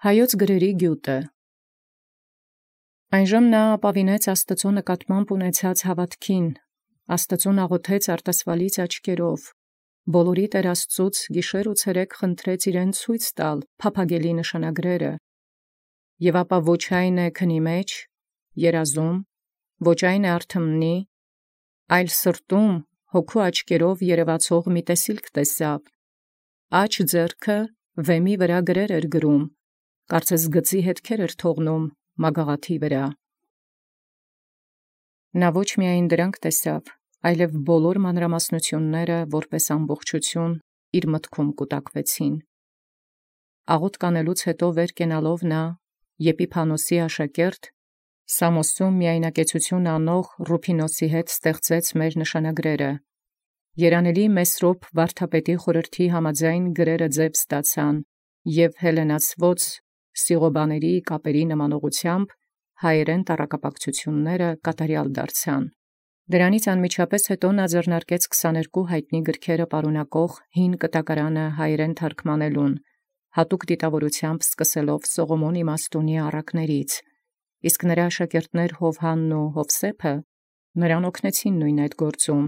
Հայոց գրերի գյուտը։ Այնժամ նա ապավինեց Աստուծոյ նկատմամբ ունեցած հաւատքին, Աստուծոյ աղոթեց արտասուալից աչքերով, բոլորի Տէր Աստուծոց գիշեր ու ցերեկ խնդրեց իրեն ցույց տալ փափագելի նշանագրերը, եւ ապա ոչ այն է քնի մեջ, երազում, ոչ այն է արթմնի, այլ սրտում հոգու աչքերով երևացող մի տեսիլք տեսավ, աջ ձեռքը վեմի վրա գրեր էր գրում, կարծես գծի հետքեր էր թողնում մագաղաթի վրա։ Նա ոչ միայն դրանք տեսավ, այլև բոլոր մանրամասնությունները որպես ամբողջություն իր մտքում կուտակվեցին։ Աղոթք անելուց հետո վեր կենալով նա Եփիփանոսի աշակերտ Սամոսում միայնակեցություն անող Ռուփինոսի հետ ստեղծեց մեր նշանագրերը։ Երանելի Մեսրոպ վարդապետի խորհրդի համաձայն գրերը ձև ստացան և հելլենացված սիղոբաների կապերի նմանողությամբ հայերեն տառակապակցությունները կատարյալ դարձան։ Դրանից անմիջապես հետո նա ձեռնարկեց 22 հայտնի գրքերը պարունակող հին կտակարանը հայերեն թարգմանելուն, հատուկ դիտավորությամբ սկսելով Սողոմոն իմաստունի առակներից, իսկ նրա աշակերտներ Յովհաննն ու Յովսեփը նրան օգնեցին նույն այդ գործում։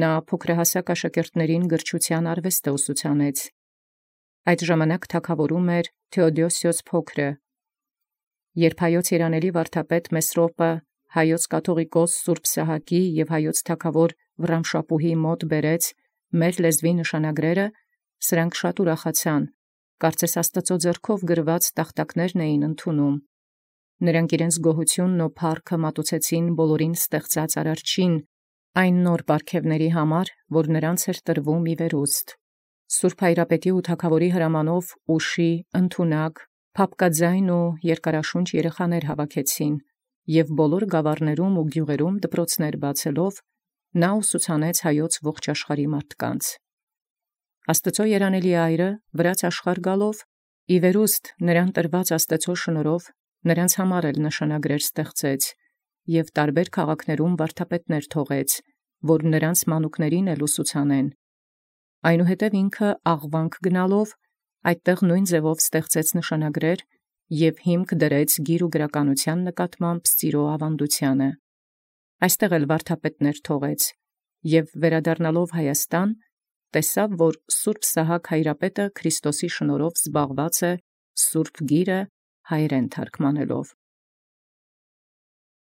Նա փոքրահասակ աշակերտներին գրչության արվեստը ուսուցանեց։ Այդ ժամանակ թագավորում էր Թեոդոսիոս փոքրը։ Երբ հայոց երանելի վարդապետ Մեսրոպը հայոց կաթողիկոս Սուրբ Սահակի և հայոց թագավոր Վռամշապուհի մոտ բերեց մեր լեզվի նշանագրերը, սրանք շատ ուրախացան, կարծես Աստծո ձեռքով գրված տախտակներն էին ընդունում։ Նրանք իրենց գոհությունն ու փառքը մատուցեցին բոլորին ստեղծած Արարչին, այն նոր պարգևների համար, որ նրանց էր տրվում ի վերուստ։ Սուրբ Հայրապետի ու թագավորի հրամանով ուշի, ընդունակ, փափկաձայն ու երկարաշունչ երեխաներ հավաքեցին, և բոլոր գավառներում ու գյուղերում դպրոցներ բացելով, նա ուսուցանեց հայոց ողջ աշխարհի մարդկանց։ Աստծո երանելի այրը վրաց աշխարհ գալով, ի վերուստ նրան տրված Աստծո շնորհով նրանց համար էլ նշանագրեր ստեղծեց, և տարբեր քաղաքներում վարդապետներ թողեց, որ նրանց մանուկներին էլ ուսուցանեն։ Այնուհետև ինքը Աղվանք գնալով, այդտեղ նույն ձևով ստեղծեց նշանագրեր և հիմք դրեց գիր ու գրականության նկատմամբ սիրո ավանդությանը։ Այստեղ էլ վարդապետներ թողեց, և վերադառնալով Հայաստան, տեսավ, որ Սուրբ Սահակ Հայրապետը Քրիստոսի շնորհով զբաղված է Սուրբ Գիրը հայերեն թարգմանելով։